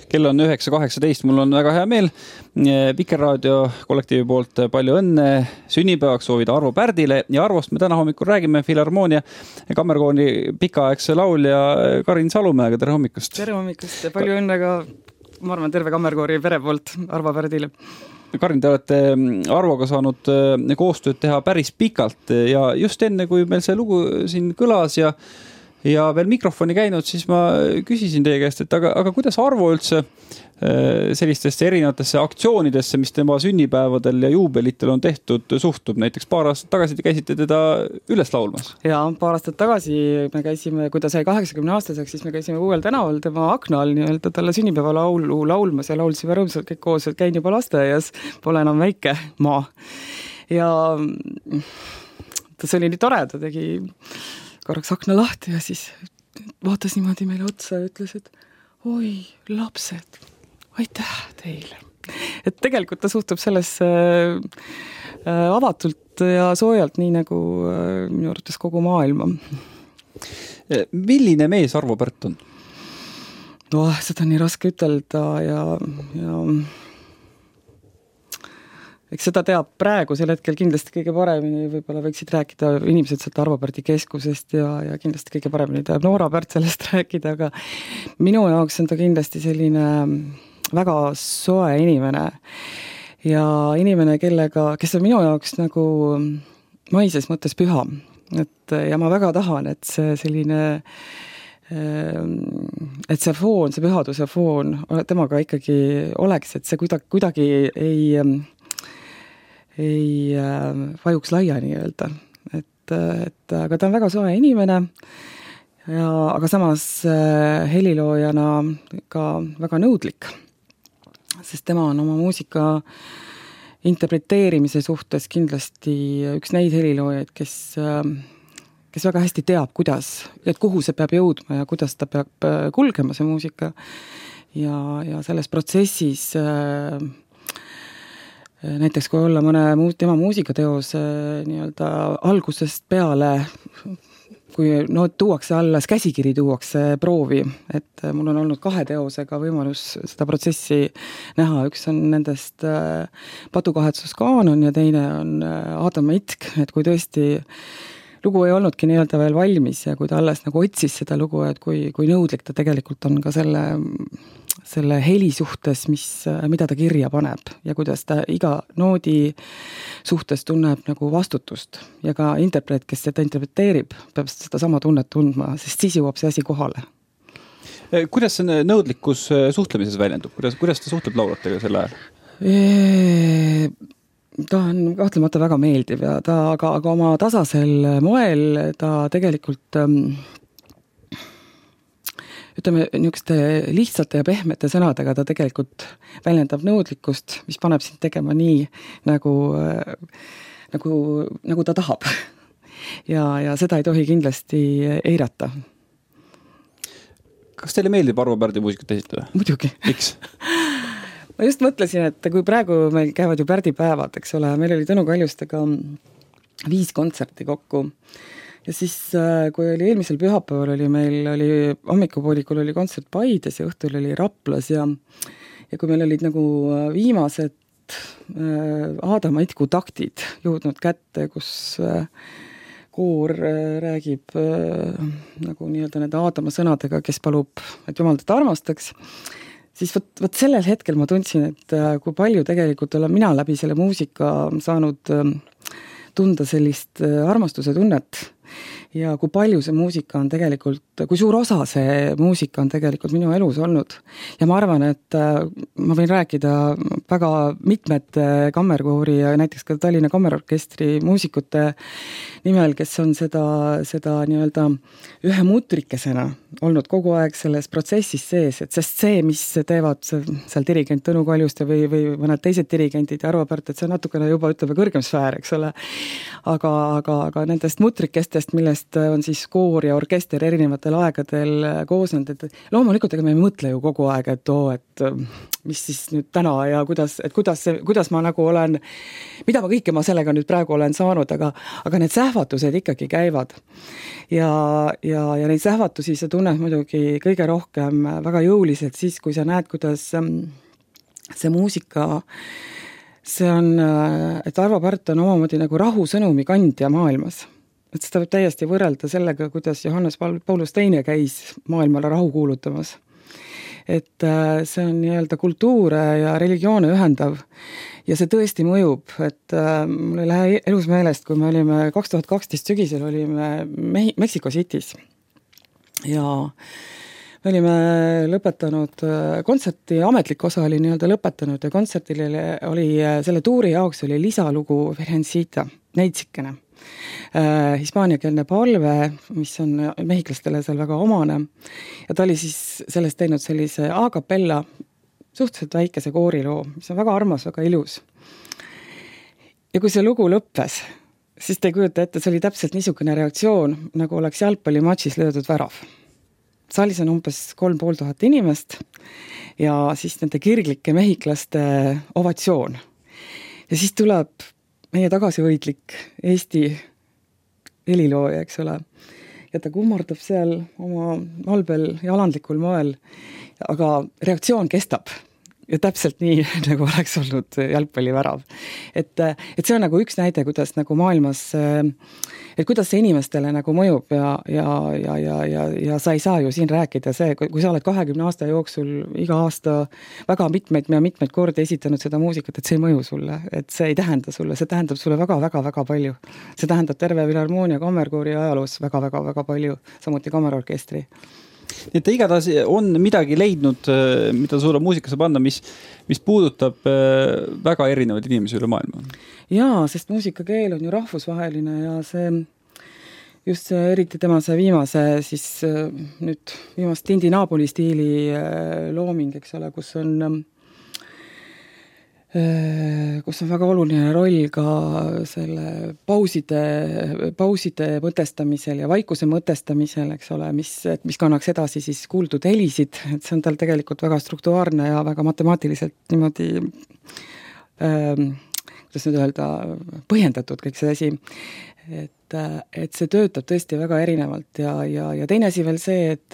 Kell on 9.18, mul on väga hea meel Vikerraadio kollektiivi poolt palju õnne sünnipäevaks soovida Arvo Pärdile ja Arvost me täna hommikul räägime Filharmoonia Kammerkoori pikaaegse laulja Karin Salumäega. Tere hommikust! Tere hommikust ja palju õnne ka, ma arvan, terve Kammerkoori pere poolt Arvo Pärdile. Karin, te olete Arvoga saanud koostööd teha päris pikalt ja just enne, kui meil see lugu siin kõlas ja veel mikrofoni käinud, siis ma küsisin teie käest, et aga kuidas Arvo üldse sellistesse erinevatesse aktsioonidesse, mis tema sünnipäevadel ja juubelitel on tehtud, suhtub? Näiteks paar aastat tagasi te käisite teda üles laulmas. Ja paar aastat tagasi me käisime, kui ta sai 80-aastaseks, siis me käisime Uuel tänaval tema akna all nii-öelda talle sünnipäeva laulu laulmas ja laulsime rõõmsalt kõik koos, et käin juba lasteaias, pole enam väike maa. Ja see oli nii tore, ta tegi korraks akna lahti ja siis vaatas niimoodi meile otsa ja ütles, et oi, lapsed, aitäh teile. Et tegelikult ta suhtub sellesse avatult ja soojalt, nii nagu minu arvates kogu maailma. Milline mees Arvo Pärt on? No, seda on nii raske ütelda ja eks seda teab praegu sel hetkel kindlasti kõige paremini, võib-olla võiksid rääkida inimesed sealt Arvo Pärdi keskusest ja kindlasti kõige paremini teab Noora Pärt sellest rääkida, aga minu jaoks on ta kindlasti selline väga soe inimene ja inimene, kes on minu jaoks nagu maises mõttes püha. Ja ma väga tahan, et see selline et see foon, see pühaduse foon temaga ikkagi oleks, et see kuidagi ei vajuks laiani öelda. Aga ta on väga soe inimene, aga samas heliloojana ka väga nõudlik, sest tema on oma muusika interpreteerimise suhtes kindlasti üks neid heliloojaid, kes väga hästi teab, kuidas, et kuhu see peab jõudma ja kuidas ta peab kulgema see muusika ja selles protsessis näiteks kui olla mõne tema muusikateos nii-öelda algusest peale, kui tuuakse alles, käsikiri tuuakse proovi, et mul on olnud 2 teosega võimalus seda protsessi näha, üks on nendest Patukahetsuskaanon ja teine on Aadama itk, et kui tõesti lugu ei olnudki nii-öelda veel valmis ja kui ta alles nagu otsis seda lugu, et kui nõudlik ta tegelikult on ka selle heli suhtes, mida ta kirja paneb ja kuidas ta iga noodi suhtes tunneb nagu vastutust ja ka interpreet, kes seda interpreteerib, peab seda sama tunnet tundma, sest siis jõuab see asi kohale. Kuidas see nõudlikkus suhtlemises väljendub? Kuidas ta suhtleb laulatega selle ajal? Ta on kahtlemata väga meeldiv ja aga oma tasasel moel ta tegelikult ütleme, niisuguste lihtsate ja pehmete sõnadega ta tegelikult väljendab nõudlikkust, mis paneb sind tegema nii, nagu ta tahab. Ja seda ei tohi kindlasti eirata. Kas teile meeldib Arvo Pärdi muusikat esitada? Muidugi. Miks? Ma just mõtlesin, et kui praegu meil käivad ju pärdipäevad, eks ole, meil oli Tõnu Kaljustega 5 kontserti kokku. Ja siis, kui oli eelmisel pühapäeval oli hommikupoolikul oli kontsert Paides ja õhtul oli Raplas ja kui meil olid nagu viimased Aadama itku taktid jõudnud kätte, kus koor räägib nagu nii-öelda nende Aadama sõnadega, kes palub, et Jumal teda armastaks, siis võt sellel hetkel ma tundsin, et kui palju tegelikult olen mina läbi selle muusika saanud tunda sellist armastuse tunnet ja kui palju see muusika on tegelikult, kui suur osa see muusika on tegelikult minu elus olnud. Ja ma arvan, et ma võin rääkida väga mitmete kammerkoori ja näiteks ka Tallinna Kammerorkestri muusikute nimel, kes on seda nii-öelda ühe mutrikesena olnud kogu aeg selles protsessis sees, et sest see, mis teevad seal dirigent Tõnu Kaljuste või mõned teised dirigentid ja Arvo Pärt, et see on natukene juba ütleme kõrgem sfäär, eks ole. Aga nendest mutrikestest, millest inimest on siis koor ja orkester erinevatel aegadel koosnenud, et loomulikult ega me ei mõtle ju kogu aeg, et et mis siis nüüd täna ja kuidas ma nagu olen, mida kõike ma sellega nüüd praegu olen saanud, aga need sähvatused ikkagi käivad. Ja neid sähvatusi sa tunned muidugi kõige rohkem väga jõuliselt siis, kui sa näed, kuidas see muusika, see on, et Arvo Pärt on omamoodi nagu rahusõnumi kandja maailmas. Et seda võib täiesti võrrelda sellega, kuidas Johannes Paulus II käis maailmale rahu kuulutamas. Et see on nii-öelda kultuure ja religioone ühendav ja see tõesti mõjub, et mul ei lähe elus meelest, kui me olime 2012 sügisel olime Mexico City's ja me olime lõpetanud kontserti, ametlik osa oli nii-öelda lõpetanud ja kontsertil oli selle tuuri jaoks oli lisalugu Virgencita, neitsikene. Hispaaniakeelne palve, mis on mehhiklastele seal väga omane ja ta oli siis sellest teinud sellise a cappella suhteliselt väikese kooriloo, mis on väga armas, väga ilus. Ja kui see lugu lõppes, siis te ei kujuta ette, see oli täpselt niisugune reaktsioon, nagu oleks jalgpallimatšis löödud värav. Saalis on umbes 3500 inimest ja siis nende kirglike mehhiklaste ovatsioon. Ja siis tuleb meie tagasivõitlik Eesti helilooja, eks ole. Ja ta kummardab seal oma albel ja alandlikul moel, aga reaktsioon kestab. Ja täpselt nii, nagu oleks olnud jalgpallivärav. Et see on nagu üks näide, kuidas nagu maailmas, et kuidas see inimestele nagu mõjub ja sa ei saa ju siin rääkida see, kui sa oled 20 aasta jooksul iga aasta väga mitmeid kordi esitanud seda muusikat, et see ei mõju sulle, et see ei tähenda sulle, see tähendab sulle väga palju. See tähendab terve Filharmoonia kammerkoori ajaloos väga palju, samuti kammerorkestri. Nii et igatahes on midagi leidnud, mida sulle muusika saab anda, mis puudutab väga erinevaid inimesi üle maailma. Jaa, sest muusikakeel on ju rahvusvaheline ja see, just see, eriti tema see viimase, siis nüüd viimast Tindi Napoli stiili looming, eks ole, kus on väga oluline roll ka selle pauside mõtestamisel ja vaikuse mõtestamisel, eks ole, mis kannaks edasi siis kuuldud helisid, et see on tal tegelikult väga struktuaarne ja väga matemaatiliselt niimoodi, kuidas nüüd öelda, põhjendatud kõik see asi. Et see töötab tõesti väga erinevalt ja teine asi veel see, et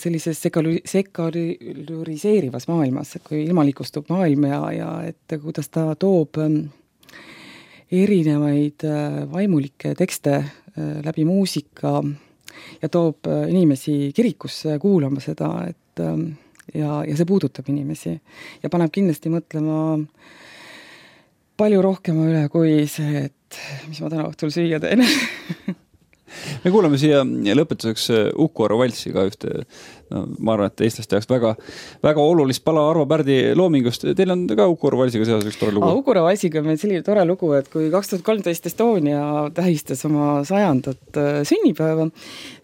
sellises sekulariseerivas maailmas, kui ilmalikustub maailm ja et kuidas ta toob erinevaid vaimulikke tekste läbi muusika ja toob inimesi kirikusse kuulama seda, ja see puudutab inimesi ja paneb kindlasti mõtlema palju rohkema üle kui see, et mis ma täna õhtul süüa teen. Me kuulame siia lõpetuseks Uku Arvo valsi ka ühte, ma arvan, et eestlaste jaoks väga olulist pala Arvo Pärdi loomingust. Teil on ka Uku Arvo valsiga seoses üks tore lugu. Uku Arvo valsiga on meil selline tore lugu, et kui 2013 Estonia tähistas oma 100. sünnipäeva,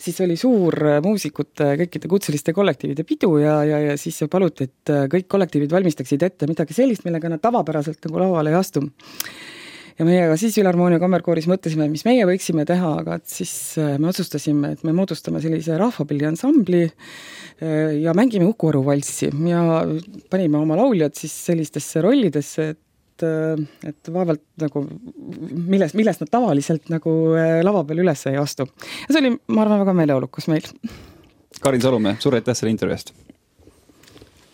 siis oli suur muusikute, kõikide kutseliste kollektiivide pidu ja siis paluti, et kõik kollektiivid valmistaksid ette midagi sellist, millega nad tavapäraselt nagu lauale ei astu. Ja meiega siis Filharmoonia kammerkooris mõtlesime, mis meie võiksime teha, aga siis me otsustasime, et me moodustame sellise rahvapilliansambli ja mängime Uku Arvo valssi ja panime oma lauljad siis sellistesse rollidesse, et vaevalt nagu, millest nad tavaliselt nagu lava peal üles ei astu. Ja see oli, ma arvan, väga meeleolukas meil. Karin Salumäe, suur aitäh selle intervjuust!